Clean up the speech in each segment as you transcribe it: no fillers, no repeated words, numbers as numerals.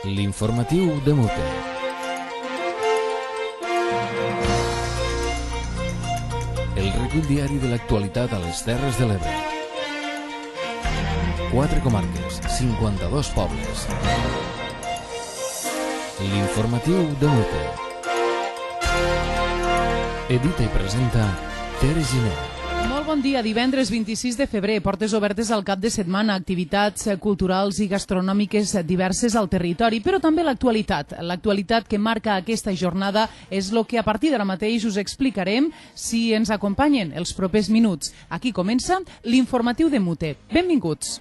L'informatiu de Mute. El recull diari de l'actualitat a les Terres de l'Ebre. 4 comarques, 52 pobles. L'informatiu de Mute. Edita i presenta Tere Giner. Molt bon dia, divendres 26 de febrer, portes obertes al cap de setmana, activitats culturals i gastronòmiques diverses al territori, però també l'actualitat. L'actualitat que marca aquesta jornada és el que a partir d'ara mateix us explicarem si ens acompanyen els propers minuts. Aquí comença l'informatiu de Mute. Benvinguts.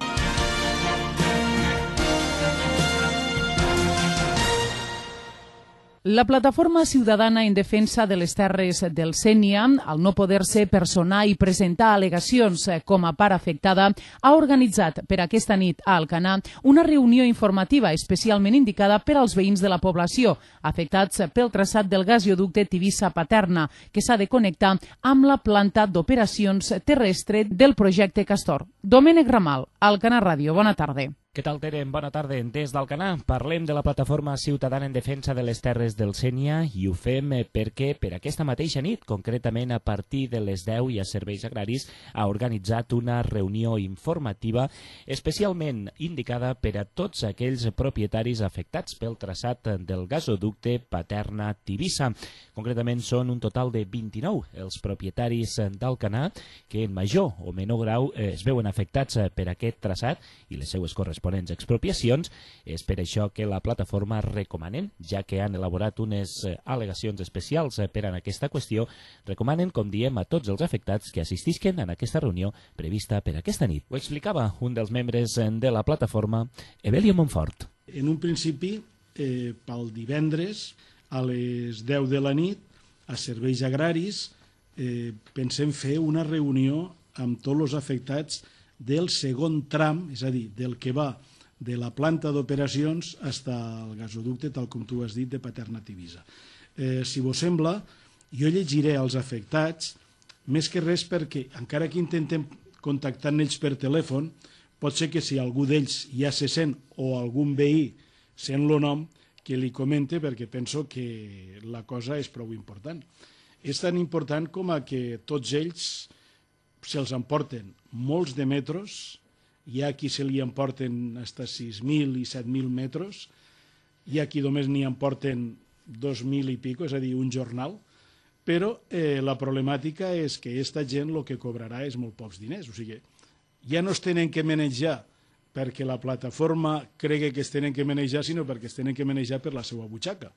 La plataforma ciutadana en defensa de les terres del Sénia, al no poder-se personar i presentar al·legacions com a part afectada, ha organitzat per aquesta nit a Alcanar una reunió informativa especialment indicada per als veïns de la població, afectats pel traçat del gasoducte Tivissa-Paterna, que s'ha de connectar amb la planta d'operacions terrestre del projecte Castor. Domènec Ramal, Alcanar Ràdio, bona tarda. Què tal, Tere? Bona tarda. Des d'Alcanar parlem de la plataforma ciutadana en defensa de les terres del Sénia i ho fem perquè per aquesta mateixa nit, concretament a partir de les 10 i a Serveis Agraris, ha organitzat una reunió informativa especialment indicada per a tots aquells propietaris afectats pel traçat del gasoducte Paterna-Tivissa. Concretament són un total de 29 els propietaris d'Alcanar que en major o menor grau es veuen afectats per aquest traçat i les seues corresponents expropiacions. És per això que la plataforma recomanen, ja que han elaborat unes al·legacions especials per a aquesta qüestió, recomanen, com diem, a tots els afectats que assistisquen en aquesta reunió prevista per aquesta nit. Ho explicava un dels membres de la plataforma, Evelio Montfort. En un principi, pel divendres, a les 10 de la nit, a Serveis Agraris, pensem fer una reunió amb tots els afectats del segon tram, és a dir, del que va de la planta d'operacions fins al gasoducte, tal com tu has dit, de Paterna-Tivissa. Si vos sembla, jo llegiré als afectats, més que res perquè, encara que intentem contactar amb ells per telèfon, pot ser que si algú d'ells ja se sent o algun veí sent el nom, que li comente, perquè penso que la cosa és prou important. És tan important com a que tots ells se'ls emporten molts de metros, hi ha qui se li emporten fins a 6.000 i 7.000 metros, hi ha qui només n'hi emporten 2.000 i pico, és a dir, un jornal, però la problemàtica és que aquesta gent el que cobrarà és molt pocs diners, o sigui, ja no es tenen que manejar perquè la plataforma cregui que es tenen que manejar, sinó perquè es tenen que manejar per la seva butxaca,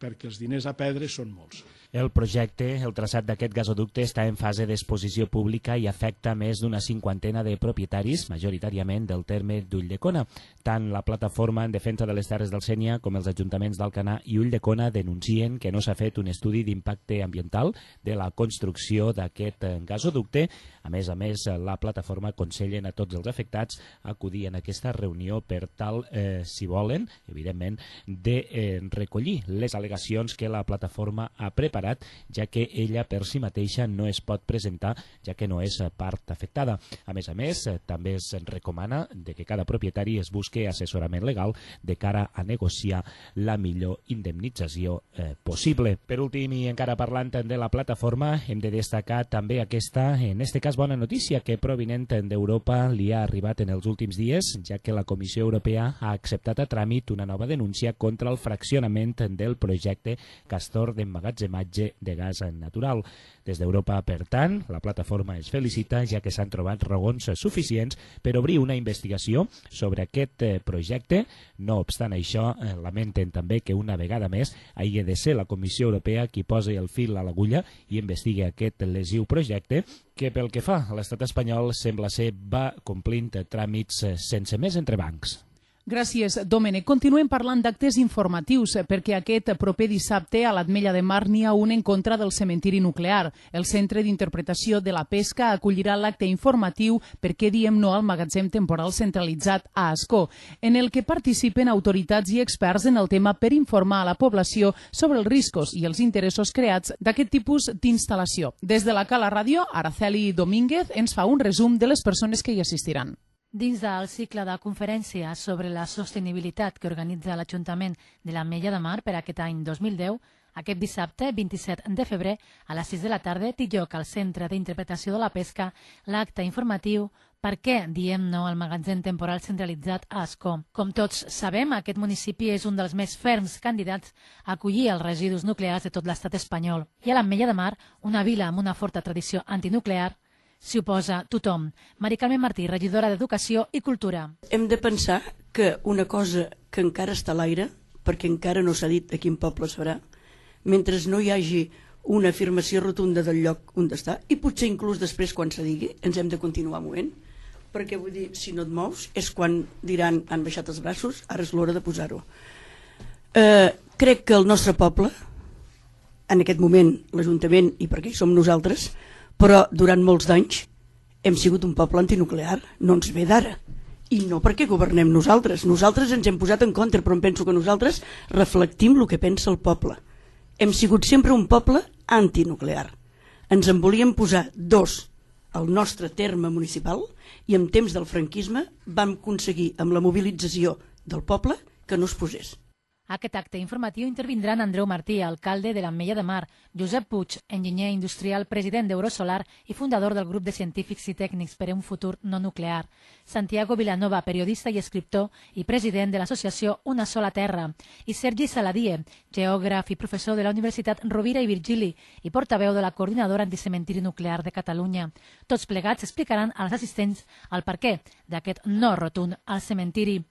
perquè els diners a perdre són molts. El projecte, el traçat d'aquest gasoducte, està en fase d'exposició pública i afecta més d'una 50 de propietaris, majoritàriament del terme d'Ulldecona. Tant la plataforma en defensa de les terres del Sénia com els ajuntaments d'Alcanar i Ulldecona denuncien que no s'ha fet un estudi d'impacte ambiental de la construcció d'aquest gasoducte. A més, la plataforma aconsellen a tots els afectats acudir en aquesta reunió per tal, si volen, evidentment, de recollir les al·legacions que la plataforma ha preparat, ja que ella per si mateixa no es pot presentar, ja que no és part afectada. A més, també es recomana de que cada propietari es busqui assessorament legal de cara a negociar la millor indemnització possible. Per últim, i encara parlant de la plataforma, hem de destacar també aquesta, en este cas, bona notícia que provinent d'Europa li ha arribat en els últims dies, ja que la Comissió Europea ha acceptat a tràmit una nova denúncia contra el fraccionament del projecte Castor d'emmagatzematge de gas natural. Des d'Europa, per tant, la plataforma es felicita, ja que s'han trobat raons suficients per obrir una investigació sobre aquest projecte. No obstant això, lamenten també que una vegada més hagi de ser la Comissió Europea qui posi el fil a l'agulla i investigui aquest lesiu projecte que pel que fa a l'estat espanyol sembla ser va complint tràmits sense més entrebancs. Gràcies, Domènec. Continuem parlant d'actes informatius perquè aquest proper dissabte a l'Ametlla de Mar n'hi ha un en contra del cementiri nuclear. El Centre d'Interpretació de la Pesca acollirà l'acte informatiu Per què diem no al magatzem temporal centralitzat a Ascó, en el que participen autoritats i experts en el tema per informar a la població sobre els riscos i els interessos creats d'aquest tipus d'instal·lació. Des de la Cala Ràdio, Araceli Domínguez ens fa un resum de les persones que hi assistiran. Dins del cicle de conferències sobre la sostenibilitat que organitza l'Ajuntament de l'Ametlla de Mar per aquest any 2010, aquest dissabte, 27 de febrer, a les 6 de la tarda, té lloc al Centre d'Interpretació de la Pesca l'acte informatiu Per què diem no al magatzem temporal centralitzat a Ascó? Com tots sabem, aquest municipi és un dels més ferms candidats a acollir els residus nuclears de tot l'estat espanyol. I a l'Ametlla de Mar, una vila amb una forta tradició antinuclear, s'hi oposa tothom. Mari Carmen Martí, regidora d'Educació i Cultura. Hem de pensar que una cosa que encara està a l'aire, perquè encara no s'ha dit a quin poble serà, mentre no hi hagi una afirmació rotunda del lloc on està, i potser inclús després quan se digui, ens hem de continuar movent, perquè vull dir, si no et mous, és quan diran han baixat els braços, ara és l'hora de posar-ho. Crec que el nostre poble, en aquest moment l'Ajuntament, i perquè hi som nosaltres, però durant molts d'anys hem sigut un poble antinuclear, no ens ve d'ara. I no perquè governem nosaltres. Nosaltres ens hem posat en contra, però em penso que nosaltres reflectim el que pensa el poble. Hem sigut sempre un poble antinuclear. Ens en volíem posar dos al nostre terme municipal i en temps del franquisme vam aconseguir amb la mobilització del poble que no es posés. A aquest acte informatiu intervindran Andreu Martí, alcalde de l'Ametlla de Mar, Josep Puig, enginyer industrial, president d'Eurosolar i fundador del grup de científics i tècnics per a un futur no nuclear, Santiago Vilanova, periodista i escriptor i president de l'associació Una sola terra, i Sergi Saladie, geògraf i professor de la Universitat Rovira i Virgili i portaveu de la Coordinadora Anticementiri Nuclear de Catalunya. Tots plegats explicaran als assistents el perquè d'aquest no rotund al cementiri.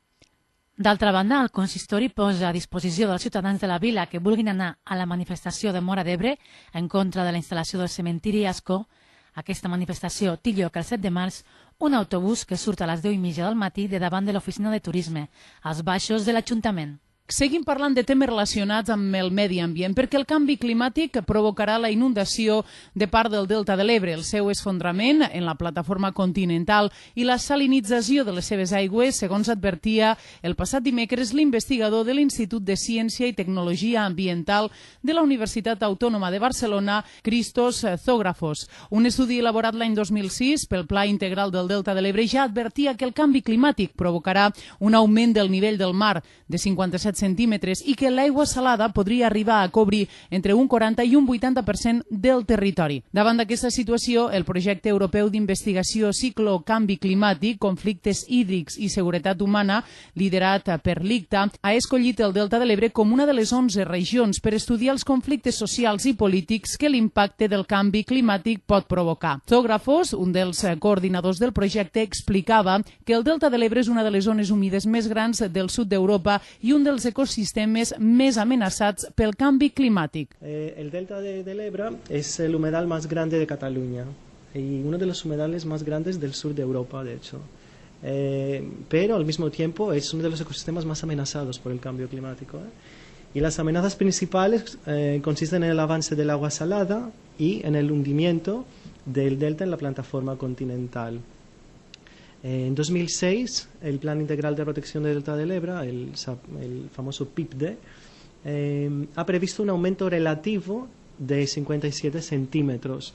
D'altra banda, el consistori posa a disposició dels ciutadans de la vila que vulguin anar a la manifestació de Móra d'Ebre en contra de la instal·lació del cementiri Ascó. Aquesta manifestació té lloc el 7 de març, un autobús que surt a les 10:30 del matí de davant de l'oficina de turisme, als baixos de l'Ajuntament. Seguim parlant de temes relacionats amb el medi ambient, perquè el canvi climàtic provocarà la inundació de part del Delta de l'Ebre, el seu esfondrament en la plataforma continental i la salinització de les seves aigües, segons advertia el passat dimecres l'investigador de l'Institut de Ciència i Tecnologia Ambiental de la Universitat Autònoma de Barcelona, Christos Zógrafos. Un estudi elaborat l'any 2006 pel Pla Integral del Delta de l'Ebre ja advertia que el canvi climàtic provocarà un augment del nivell del mar de 57 centímetres i que l'aigua salada podria arribar a cobrir entre un 40 i un 80% del territori. Davant d'aquesta situació, el projecte europeu d'investigació Ciclo Canvi Climàtic, Conflictes Hídrics i Seguretat Humana, liderat per l'ICTA, ha escollit el Delta de l'Ebre com una de les 11 regions per estudiar els conflictes socials i polítics que l'impacte del canvi climàtic pot provocar. Zógrafos, un dels coordinadors del projecte, explicava que el Delta de l'Ebre és una de les zones humides més grans del sud d'Europa i un dels ecosistemes més amenaçats pel canvi climàtic. El delta del Ebro es el humedal más grande de Cataluña y uno de los humedales más grandes del sur de Europa, de hecho. Pero al mismo tiempo es uno de los ecosistemas más amenazados por el cambio climático. Y las amenazas principales consisten en el avance del agua salada y en el hundimiento del delta en la plataforma continental. En 2006, el Plan Integral de Protección del Delta del Ebro, el famoso PIPDE, ha previsto un aumento relativo de 57 centímetros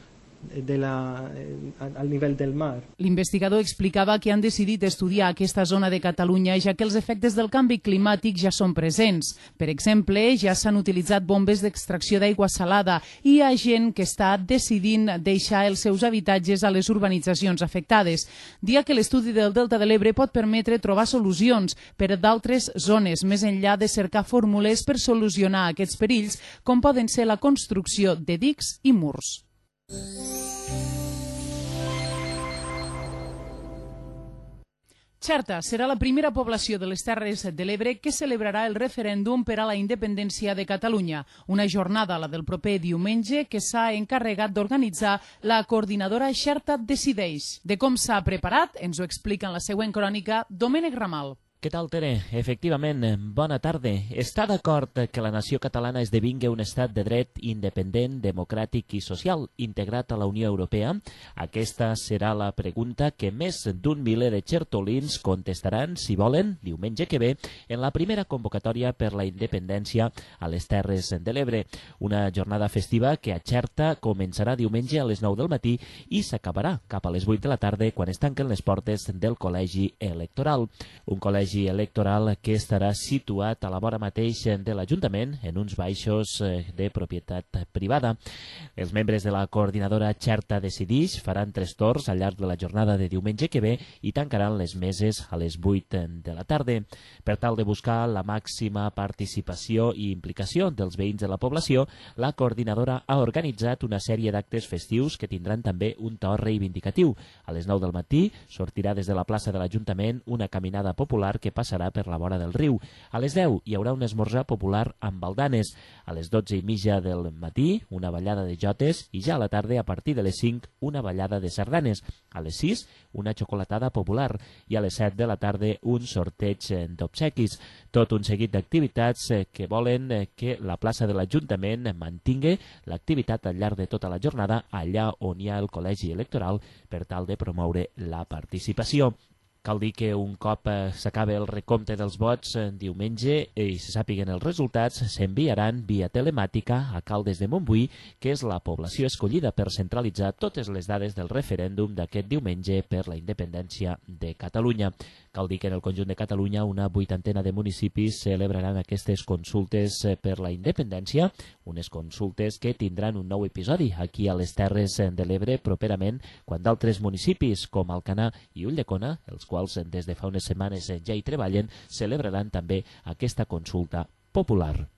al nivell del mar. L'investigador explicava que han decidit estudiar aquesta zona de Catalunya ja que els efectes del canvi climàtic ja són presents. Per exemple, ja s'han utilitzat bombes d'extracció d'aigua salada i hi ha gent que està decidint deixar els seus habitatges a les urbanitzacions afectades. Dia que l'estudi del Delta de l'Ebre pot permetre trobar solucions per a d'altres zones, més enllà de cercar fórmules per solucionar aquests perills, com poden ser la construcció de dics i murs. Xerta serà la primera població de les Terres de l'Ebre que celebrarà el referèndum per a la independència de Catalunya, una jornada, la del proper diumenge, que s'ha encarregat d'organitzar la coordinadora Xerta Decideix. De com s'ha preparat, ens ho explica en la següent crònica Domènec Ramal. Què tal, Tere? Efectivament, bona tarda. Està d'acord que la nació catalana esdevingui un estat de dret independent, democràtic i social integrat a la Unió Europea? Aquesta serà la pregunta que més d'un miler de xertolins contestaran, si volen, diumenge que ve, en la primera convocatòria per la independència a les Terres de l'Ebre. Una jornada festiva que a Xerta començarà diumenge a les 9 del matí i s'acabarà cap a les 8 de la tarda quan es tanquen les portes del Col·legi Electoral. Un col·legi electoral que estarà situat a la vora mateix de l'Ajuntament, en uns baixos de propietat privada. Els membres de la coordinadora Xerta Decidix faran 3 torns al llarg de la jornada de diumenge que ve i tancaran les meses a les 8 de la tarda. Per tal de buscar la màxima participació i implicació dels veïns de la població, la coordinadora ha organitzat una sèrie d'actes festius que tindran també un to reivindicatiu. A les 9 del matí sortirà des de la plaça de l'Ajuntament una caminada popular que passarà per la vora del riu. A les 10 hi haurà un esmorzar popular amb baldanes. A les 12:30 del matí, una ballada de jotes i ja a la tarda, a partir de les 5, una ballada de sardanes. A les 6, una xocolatada popular i a les 7 de la tarda un sorteig d'obsequis. Tot un seguit d'activitats que volen que la plaça de l'Ajuntament mantingui l'activitat al llarg de tota la jornada allà on hi ha el col·legi electoral per tal de promoure la participació. Cal dir que un cop s'acabi el recompte dels vots diumenge i se sàpiguen els resultats, s'enviaran via telemàtica a Caldes de Montbui, que és la població escollida per centralitzar totes les dades del referèndum d'aquest diumenge per la independència de Catalunya. Cal dir que en el conjunt de Catalunya una 80ena de municipis celebraran aquestes consultes per la independència, unes consultes que tindran un nou episodi aquí a les Terres de l'Ebre properament, quan d'altres municipis com Alcanar i Ulldecona, els quals des de fa unes setmanes ja hi treballen, celebraran també aquesta consulta popular.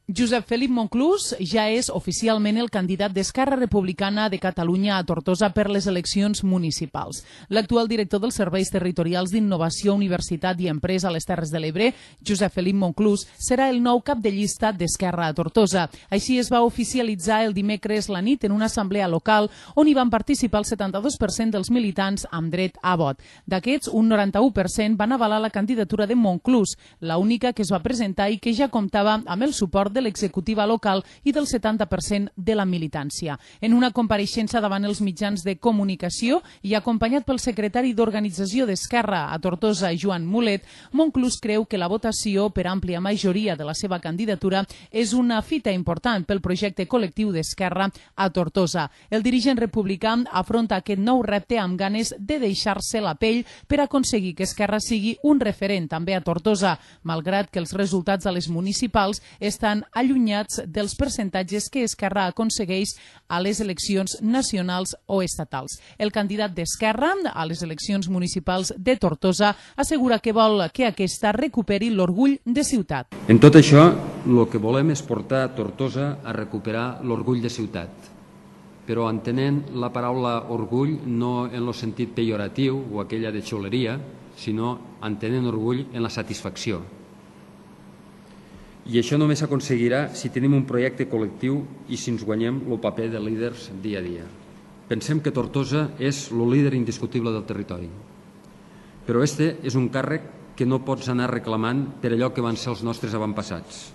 Josep Felip Monclús ja és oficialment el candidat d'Esquerra Republicana de Catalunya a Tortosa per les eleccions municipals. L'actual director dels Serveis Territorials d'Innovació, Universitat i Empresa a les Terres de l'Ebre, Josep Felip Monclús, serà el nou cap de llista d'Esquerra a Tortosa. Així es va oficialitzar el dimecres la nit en una assemblea local on hi van participar el 72% dels militants amb dret a vot. D'aquests, un 91% van avalar la candidatura de Monclús, l'única que es va presentar i que ja comptava amb el suport de l'executiva local i del 70% de la militància. En una compareixença davant els mitjans de comunicació i acompanyat pel secretari d'Organització d'Esquerra a Tortosa, Joan Mulet, Monclús creu que la votació per àmplia majoria de la seva candidatura és una fita important pel projecte col·lectiu d'Esquerra a Tortosa. El dirigent republicà afronta aquest nou repte amb ganes de deixar-se la pell per aconseguir que Esquerra sigui un referent també a Tortosa, malgrat que els resultats a les municipals estan allunyats dels percentatges que Esquerra aconsegueix a les eleccions nacionals o estatals. El candidat d'Esquerra a les eleccions municipals de Tortosa assegura que vol que aquesta recuperi l'orgull de ciutat. En tot això, el que volem és portar Tortosa a recuperar l'orgull de ciutat, però entenent la paraula orgull no en el sentit pejoratiu o aquella de xoleria, sinó entenent orgull en la satisfacció. I això només s'aconseguirà si tenim un projecte col·lectiu i si ens guanyem el paper de líders dia a dia. Pensem que Tortosa és el líder indiscutible del territori, però este és un càrrec que no pots anar reclamant per allò que van ser els nostres avantpassats.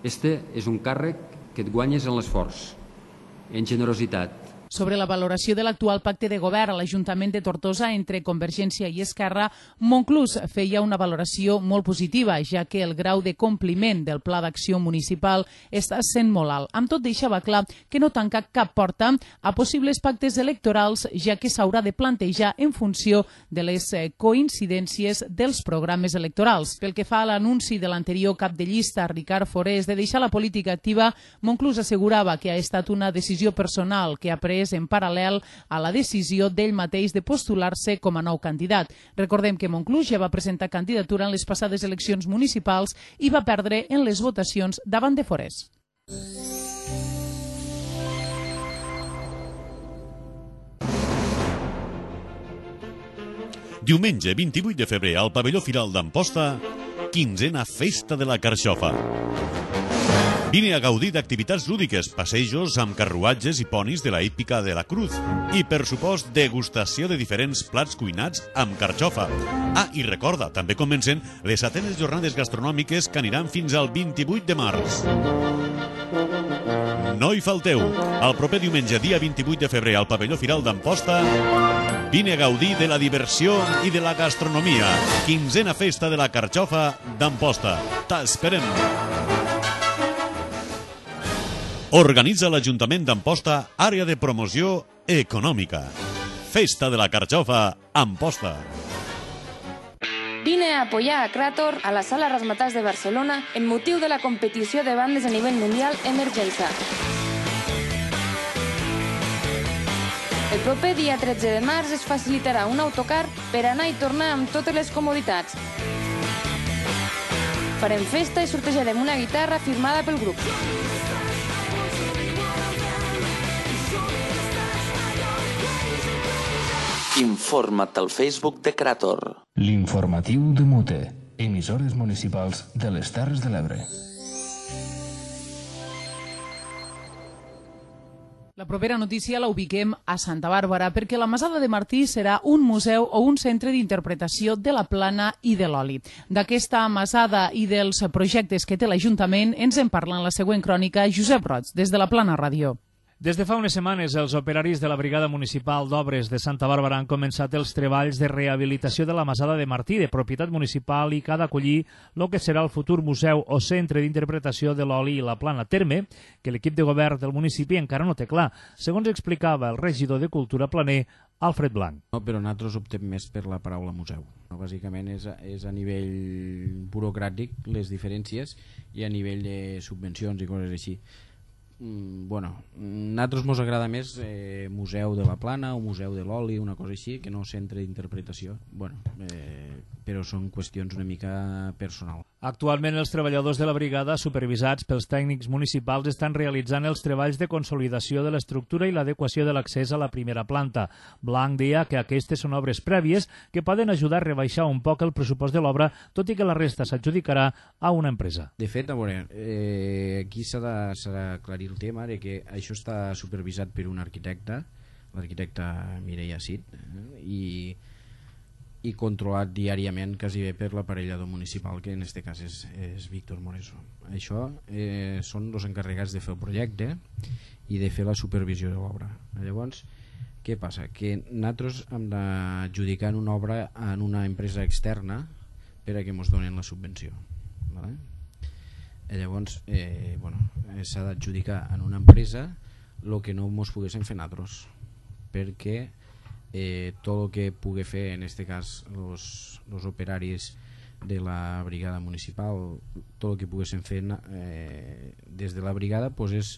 Este és un càrrec que et guanyes en l'esforç, en generositat. Sobre la valoració de l'actual pacte de govern a l'Ajuntament de Tortosa entre Convergència i Esquerra, Monclús feia una valoració molt positiva, ja que el grau de compliment del Pla d'Acció Municipal està sent molt alt. Amb tot, deixava clar que no tanca cap porta a possibles pactes electorals, ja que s'haurà de plantejar en funció de les coincidències dels programes electorals. Pel que fa a l'anunci de l'anterior cap de llista, Ricard Forés, de deixar la política activa, Monclús assegurava que ha estat una decisió personal que ha pres en paral·lel a la decisió d'ell mateix de postular-se com a nou candidat. Recordem que Monclús ja va presentar candidatura en les passades eleccions municipals i va perdre en les votacions davant de Forés. Diumenge 28 de febrer al pavelló Firal d'Amposta, 15a Festa de la Carxofa. Vine a gaudir d'activitats lúdiques, passejos amb carruatges i ponis de la hípica de la Cruz i, per supost, degustació de diferents plats cuinats amb carxofa. Ah, i recorda, també comencen les 7enes jornades gastronòmiques que aniran fins al 28 de març. No hi falteu. El proper diumenge, dia 28 de febrer, al pavelló Firal d'Amposta, vine a gaudir de la diversió i de la gastronomia. 15a Festa de la Carxofa d'Amposta. T'esperem. Organitza l'Ajuntament d'Amposta, àrea de promoció econòmica. Festa de la Carxofa, Amposta. Vine a apoyar a Krator a la Sala Razzmatazz de Barcelona en motiu de la competició de bandes a nivell mundial Emergenza. El proper dia 13 de març es facilitarà un autocar per anar i tornar amb totes les comoditats. Farem festa i sortejarem una guitarra firmada pel grup. Informa't al Facebook de Krator. L'informatiu de Mute, emissores municipals de les Terres de l'Ebre. La propera notícia la ubiquem a Santa Bàrbara perquè la Masada de Martí serà un museu o un centre d'interpretació de la plana i de l'oli. D'aquesta Masada i dels projectes que té l'Ajuntament ens en parla en la següent crònica Josep Roig, des de la Plana Ràdio. Des de fa unes setmanes, els operaris de la Brigada Municipal d'Obres de Santa Bàrbara han començat els treballs de rehabilitació de la Masada de Martí, de propietat municipal, i que ha d'acollir el que serà el futur museu o centre d'interpretació de l'oli i la plana, terme que l'equip de govern del municipi encara no té clar, segons explicava el regidor de Cultura Planer, Alfred Blanc. No, però nosaltres optem més per la paraula museu. Bàsicament és a nivell burocràtic les diferències i a nivell de subvencions i coses així. Bueno, a nosaltres ens agrada més museu de la plana o museu de l'oli, una cosa així, que no centre d'interpretació. Bueno, però són qüestions una mica personal. Actualment els treballadors de la brigada, supervisats pels tècnics municipals, estan realitzant els treballs de consolidació de l'estructura i l'adequació de l'accés a la primera planta. Blanc deia que aquestes són obres prèvies que poden ajudar a rebaixar un poc el pressupost de l'obra, tot i que la resta s'adjudicarà a una empresa. De fet, a veure, aquí s'ha d'aclarir el tema de que això està supervisat per un arquitecte, l'arquitecte Mireia Cid, i controlat diàriament quasi bé per l'aparellador municipal, que en aquest cas és Víctor Moreso. Això són els encarregats de fer el projecte i de fer la supervisió de l'obra. Llavors, què passa? Que nosaltres hem d'adjudicar una obra en una empresa externa per a que ens donen la subvenció. Llavors, s'ha d'adjudicar en una empresa el que no ens poguéssim fer nosaltres, perquè tot el que pugui fer en aquest cas els operaris de la brigada municipal, tot el que poguéssim fer des de la brigada és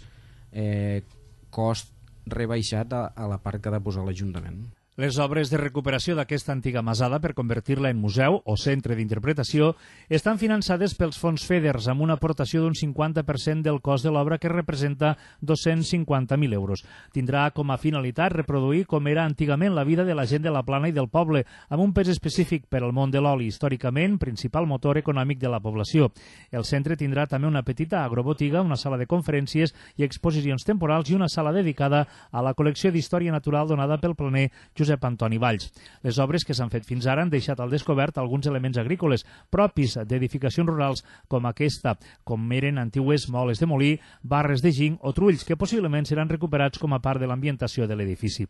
cost rebaixat a la part que ha de posar l'Ajuntament. Les obres de recuperació d'aquesta antiga masada per convertir-la en museu o centre d'interpretació estan finançades pels fons FEDERS amb una aportació d'un 50% del cost de l'obra, que representa 250.000 euros. Tindrà com a finalitat reproduir com era antigament la vida de la gent de la Plana i del poble, amb un pes específic per al món de l'oli, històricament principal motor econòmic de la població. El centre tindrà també una petita agrobotiga, una sala de conferències i exposicions temporals i una sala dedicada a la col·lecció d'història natural donada pel planer Josep Antoni Valls. Les obres que s'han fet fins ara han deixat al descobert alguns elements agrícoles propis d'edificacions rurals com aquesta, com eren antigues moles de molí, barres de ginc o trulls, que possiblement seran recuperats com a part de l'ambientació de l'edifici.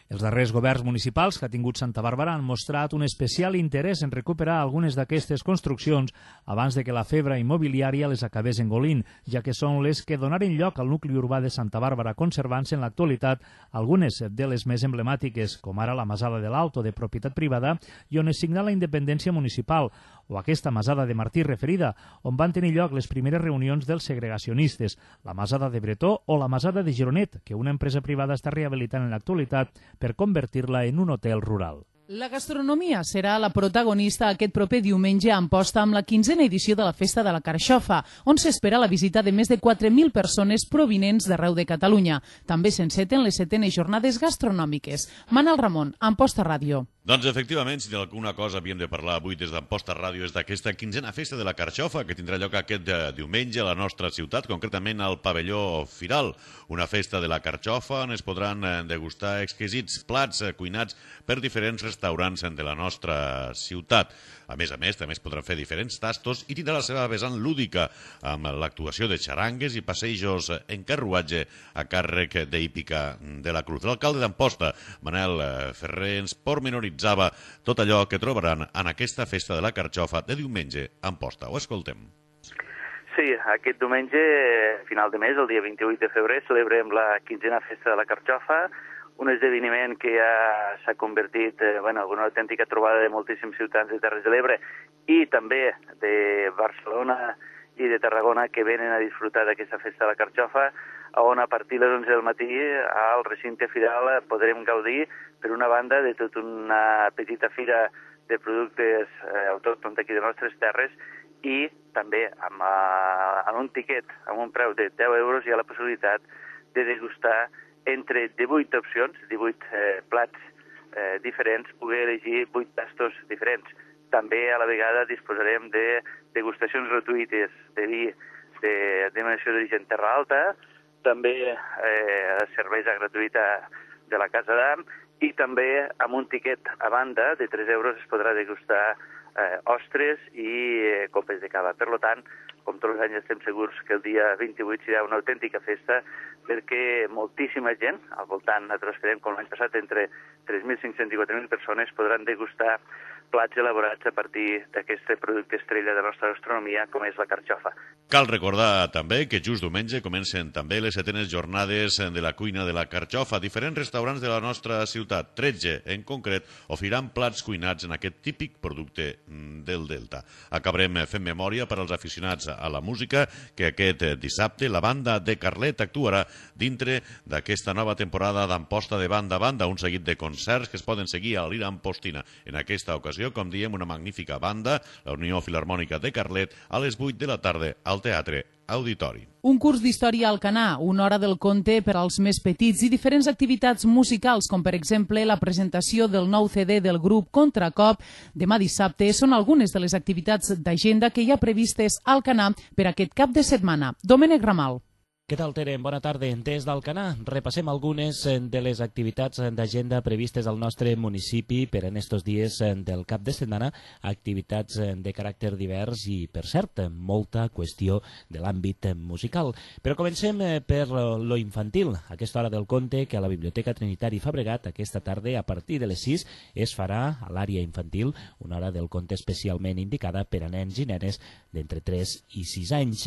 Els darrers governs municipals que ha tingut Santa Bàrbara han mostrat un especial interès en recuperar algunes d'aquestes construccions abans de que la febre immobiliària les acabés engolint, ja que són les que donaren lloc al nucli urbà de Santa Bàrbara, conservant-se en l'actualitat algunes de les més emblemàtiques, com ara la Masada de l'Alto, de propietat privada, i on es signà la independència municipal, o aquesta Masada de Martí referida, on van tenir lloc les primeres reunions dels segregacionistes, la Masada de Bretó o la Masada de Gironet, que una empresa privada està rehabilitant en l'actualitat per convertir-la en un hotel rural. La gastronomia serà la protagonista aquest proper diumenge a Amposta amb la 15a edició de la Festa de la Carxofa, on s'espera la visita de més de 4.000 persones provinents d'arreu de Catalunya. També s'enceten les 7enes jornades gastronòmiques. Manel Ramon, Amposta Ràdio. Doncs efectivament, si d'alguna cosa havíem de parlar avui des d'Amposta Ràdio és d'aquesta 15a festa de la Carxofa que tindrà lloc aquest diumenge a la nostra ciutat, concretament al pavelló Firal. Una festa de la Carxofa on es podran degustar exquisits plats cuinats per diferents restaurants de la nostra ciutat. A més, també es podran fer diferents tastos i tindrà la seva vessant lúdica amb l'actuació de xarangues i passejos en carruatge a càrrec d'Hípica de la Cruz. L'alcalde d'Amposta, Manel Ferrer, ens pormenoritzava tot allò que trobaran en aquesta festa de la Carxofa de diumenge a Amposta. Ho escoltem. Sí, aquest diumenge, final de mes, el dia 28 de febrer, celebrem la 15a festa de la Carxofa, un esdeveniment que ja s'ha convertit en una autèntica trobada de moltíssims ciutadans de Terres de l'Ebre i també de Barcelona i de Tarragona que venen a disfrutar d'aquesta festa de la Carxofa, on a partir de les 11 del matí al recinte Firal podrem gaudir, per una banda, de tota una petita fira de productes autòctons d'aquí de nostres terres i també amb un tiquet, amb un preu de 10 euros, hi ha la possibilitat de degustar entre 18 opcions, 18 plats diferents, poder elegir 8 tastos diferents. També a la vegada disposarem de degustacions gratuïtes de vi de denominació d'origen Terra Alta, també cervesa gratuïta de la Casa d'Am i també amb un tiquet a banda de 3 euros es podrà degustar ostres i copes de cava. Per tant, com tots els anys estem segurs que el dia 28 serà una autèntica festa perquè moltíssima gent, al voltant, nosaltres esperem com l'any passat, entre 3.500 i 4.000 persones podran degustar plats elaborats a partir d'aquest producte estrella de la nostra gastronomia, com és la carxofa. Cal recordar també que just diumenge comencen també les 7enes jornades de la cuina de la carxofa. Diferents restaurants de la nostra ciutat, 13 en concret, oferiran plats cuinats en aquest típic producte del Delta. Acabarem fent memòria per als aficionats a la música que aquest dissabte la banda de Carlet actuarà dintre d'aquesta nova temporada d'Amposta de Banda a Banda, un seguit de concerts que es poden seguir a l'Ira Ampostina. En aquesta ocasió, com diem, una magnífica banda, la Unió Filharmònica de Carlet, a les 8 de la tarda al Teatre Auditori. Un curs d'història al Canà, una hora del conte per als més petits i diferents activitats musicals, com per exemple la presentació del nou CD del grup Contracop demà dissabte, són algunes de les activitats d'agenda que hi ha previstes al Canà per aquest cap de setmana. Domènec Ramal. Què tal, Tere? Bona tarda. Des d'Alcanar repassem algunes de les activitats d'agenda previstes al nostre municipi per en estos dies del cap de setmana, activitats de caràcter divers i, per cert, molta qüestió de l'àmbit musical. Però comencem per lo infantil. A aquesta hora del conte que a la Biblioteca Trinitari Fabregat aquesta tarda a partir de les 6 es farà a l'àrea infantil una hora del conte especialment indicada per a nens i nenes d'entre 3 i 6 anys.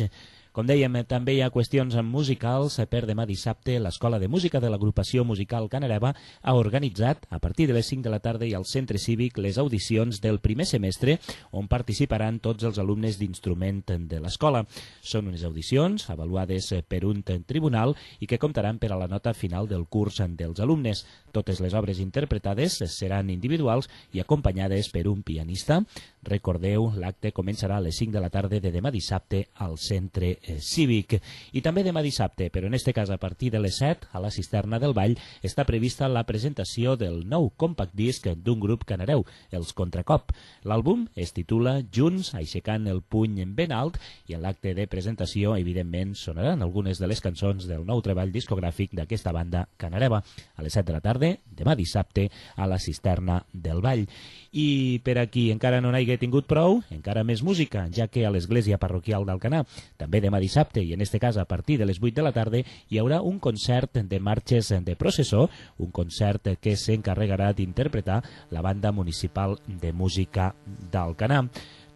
Com dèiem, també hi ha qüestions musicals. Per demà dissabte, l'Escola de Música de l'Agrupació Musical Canareva ha organitzat, a partir de les 5 de la tarda i al Centre Cívic, les audicions del primer semestre, on participaran tots els alumnes d'instrument de l'escola. Són unes audicions avaluades per un tribunal i que comptaran per a la nota final del curs dels alumnes. Totes les obres interpretades seran individuals i acompanyades per un pianista. Recordeu, l'acte començarà a les 5 de la tarda de demà dissabte al Centre Cívic. I també demà dissabte, però en este cas a partir de les 7, a la Cisterna del Vall, està prevista la presentació del nou compact disc d'un grup canareu, els Contracop. L'àlbum es titula Junts, aixecant el puny ben alt, i en l'acte de presentació, evidentment, sonaran algunes de les cançons del nou treball discogràfic d'aquesta banda canareva. A les 7 de la tarda, demà dissabte, a la Cisterna del Vall. I per a qui encara no n'hagi tingut prou, encara més música, ja que a l'església parroquial d'Alcanar, també demà dissabte, i en este cas a partir de les 8 de la tarda, hi haurà un concert de marxes de processó, un concert que s'encarregarà d'interpretar la banda municipal de música d'Alcanar.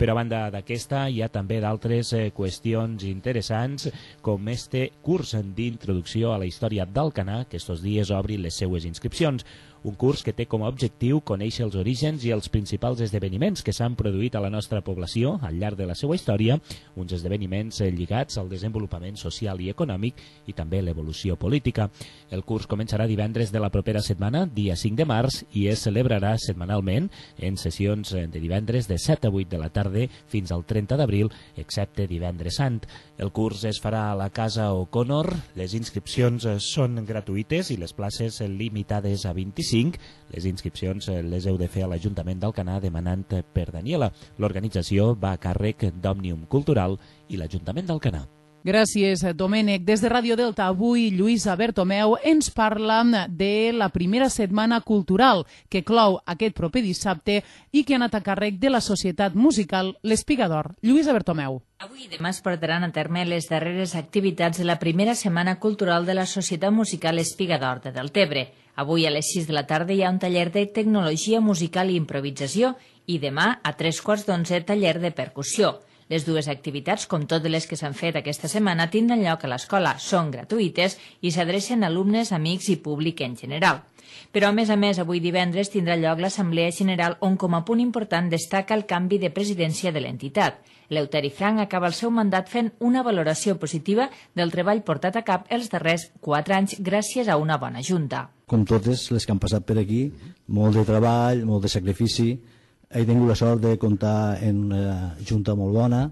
Però a banda d'aquesta hi ha també d'altres qüestions interessants, com este curs d'introducció a la història d'Alcanar, que estos dies obri les seues inscripcions. Un curs que té com a objectiu conèixer els orígens i els principals esdeveniments que s'han produït a la nostra població al llarg de la seva història, uns esdeveniments lligats al desenvolupament social i econòmic i també l'evolució política. El curs començarà divendres de la propera setmana, dia 5 de març, i es celebrarà setmanalment en sessions de divendres de 7 a 8 de la tarda fins al 30 d'abril, excepte divendres sant. El curs es farà a la Casa O'Connor, les inscripcions són gratuïtes i les places limitades a 25. 25. Les inscripcions les heu de fer a l'Ajuntament d'Alcanar demanant per Daniela. L'organització va a càrrec d'Òmnium Cultural i l'Ajuntament d'Alcanar. Gràcies, Domènec. Des de Ràdio Delta, avui Lluïsa Bertomeu ens parla de la primera setmana cultural que clou aquest proper dissabte i que ha anat a càrrec de la Societat Musical L'Espiga d'Or. Lluïsa Bertomeu. Avui i demà es portaran a terme les darreres activitats de la primera setmana cultural de la Societat Musical Espiga d'Or de Deltebre. Avui a les 6 de la tarda hi ha un taller de tecnologia musical i improvisació i demà a 11:15 taller de percussió. Les dues activitats, com totes les que s'han fet aquesta setmana, tindran lloc a l'escola, són gratuïtes i s'adrecen a alumnes, amics i públic en general. Però, a més, avui divendres tindrà lloc l'Assemblea General on, com a punt important, destaca el canvi de presidència de l'entitat. L'Euteri Frank acaba el seu mandat fent una valoració positiva del treball portat a cap els darrers 4 anys gràcies a una bona junta. Com totes les que han passat per aquí, molt de treball, molt de sacrifici. He tingut la sort de comptar en una junta molt bona.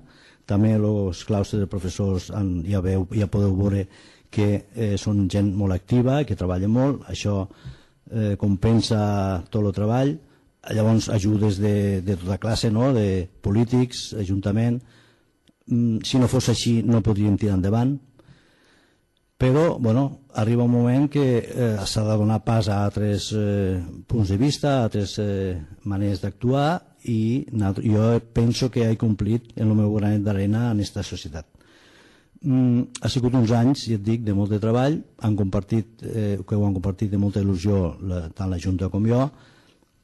També els claustres de professors ja podeu veure que són gent molt activa, que treballa molt. Això compensa tot el treball. Llavors ajudes de tota classe, no? De polítics, ajuntament. Si no fos així no podríem tirar endavant. Però arriba un moment que s'ha de donar pas a altres punts de vista, a altres maneres d'actuar, i jo penso que he complit el meu granet d'arena en aquesta societat. Ha sigut uns anys, ja et dic, de molt de treball, que ho han compartit de molta il·lusió tant la Junta com jo,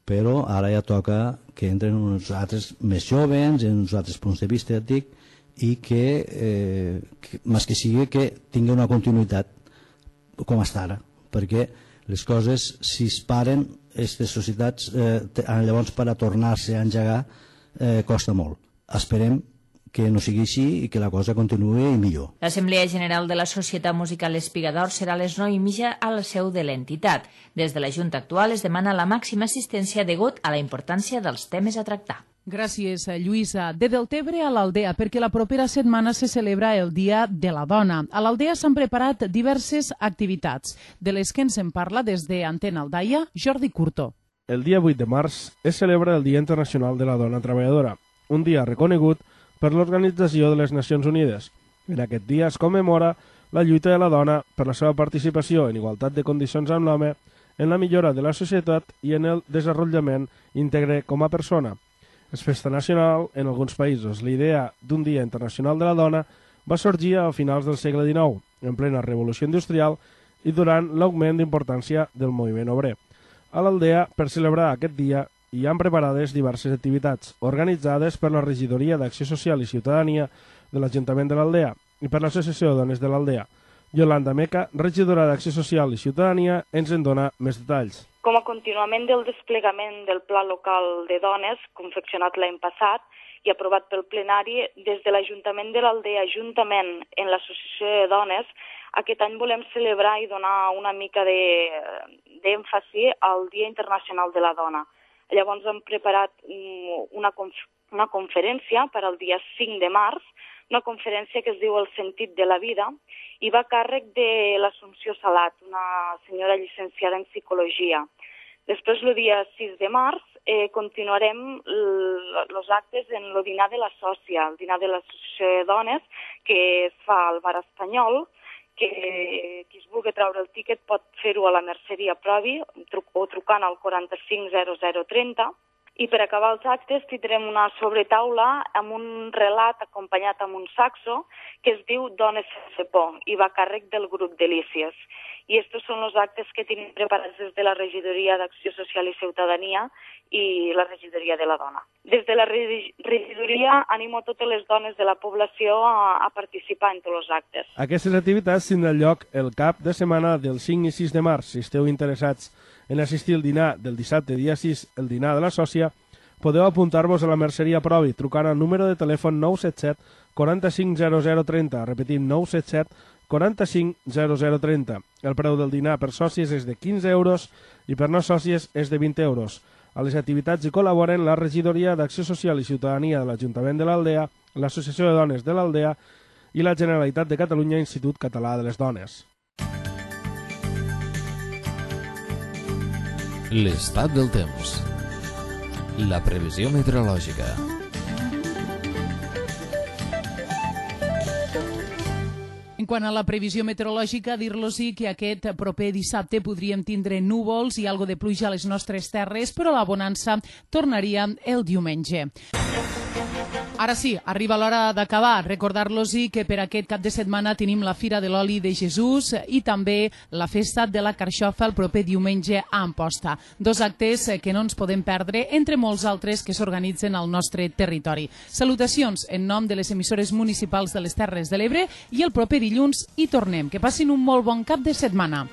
però ara ja toca que entren uns altres més jovens, en uns altres punts de vista, ja et dic, i que, més que sigui, que tingui una continuïtat com està ara, perquè les coses, si es paren, aquestes societats, llavors per a tornar-se a engegar costa molt. Esperem que no sigui així i que la cosa continuï millor. L'Assemblea General de la Societat Musical Espiga d'Or serà a les 9:30 a la seu de l'entitat. Des de la Junta actual es demana la màxima assistència degut a la importància dels temes a tractar. Gràcies, Lluïsa. De Deltebre a l'Aldea, perquè la propera setmana se celebra el Dia de la Dona. A l'Aldea s'han preparat diverses activitats, de les que ens en parla des d'Antena Aldaia, Jordi Curto. El dia 8 de març es celebra el Dia Internacional de la Dona Treballadora, un dia reconegut per l'Organització de les Nacions Unides. En aquest dia es commemora la lluita de la dona per la seva participació en igualtat de condicions amb l'home, en la millora de la societat i en el desenvolupament íntegre com a persona. És festa nacional en alguns països. La idea d'un Dia Internacional de la Dona va sorgir a finals del segle XIX, en plena revolució industrial i durant l'augment d'importància del moviment obrer. A l'Aldea, per celebrar aquest dia, hi han preparades diverses activitats, organitzades per la Regidoria d'Acció Social i Ciutadania de l'Ajuntament de l'Aldea i per l'Associació de Dones de l'Aldea. Yolanda Meca, regidora d'Acció Social i Ciutadania, ens en dona més detalls. Com a continuament del desplegament del Pla Local de Dones, confeccionat l'any passat i aprovat pel plenari, des de l'Ajuntament de l'Aldea, juntament en l'Associació de Dones, aquest any volem celebrar i donar una mica d'èmfasi al Dia Internacional de la Dona. Llavors hem preparat una conferència per al dia 5 de març, una conferència que es diu El sentit de la vida, i va a càrrec de l'Assumpció Salat, una senyora llicenciada en Psicologia. Després, el dia 6 de març, continuarem els actes en el dinar de la Sòcia, el dinar de l'Associació de Dones, que es fa al Bar Espanyol, que qui es vulgui treure el tíquet pot fer-ho a la Merceria Provi o trucant al 450030. I per acabar els actes tindrem una sobretaula amb un relat acompanyat amb un saxo que es diu Dones sense por i va a càrrec del grup Delícies. I estos són els actes que tenim preparats des de la Regidoria d'Acció Social i Ciutadania i la Regidoria de la Dona. Des de la Regidoria animo totes les dones de la població a participar en tots els actes. Aquestes activitats tindran lloc el cap de setmana del 5 i 6 de març. Si esteu interessats en assistir al dinar del dissabte dia 6, el dinar de la Sòcia, podeu apuntar-vos a la Merceria Provi trucant al número de telèfon 977 450030, repetim 977 450030. El preu del dinar per sòcies és de 15 euros i per no sòcies és de 20 euros. A les activitats hi col·laboren la Regidoria d'Acció Social i Ciutadania de l'Ajuntament de l'Aldea, l'Associació de Dones de l'Aldea i la Generalitat de Catalunya Institut Català de les Dones. L'estat del temps. La previsió meteorològica. En quant a la previsió meteorològica, dir-los-hi que aquest proper dissabte podríem tindre núvols i algo de pluja a les nostres terres, però la bonança tornaria el diumenge. Ara sí, arriba l'hora d'acabar. Recordar-los-hi que per aquest cap de setmana tenim la Fira de l'Oli de Jesús i també la Festa de la Carxofa el proper diumenge a Amposta. 2 actes que no ens podem perdre, entre molts altres que s'organitzen al nostre territori. Salutacions en nom de les emissores municipals de les Terres de l'Ebre i el proper dilluns hi tornem. Que passin un molt bon cap de setmana.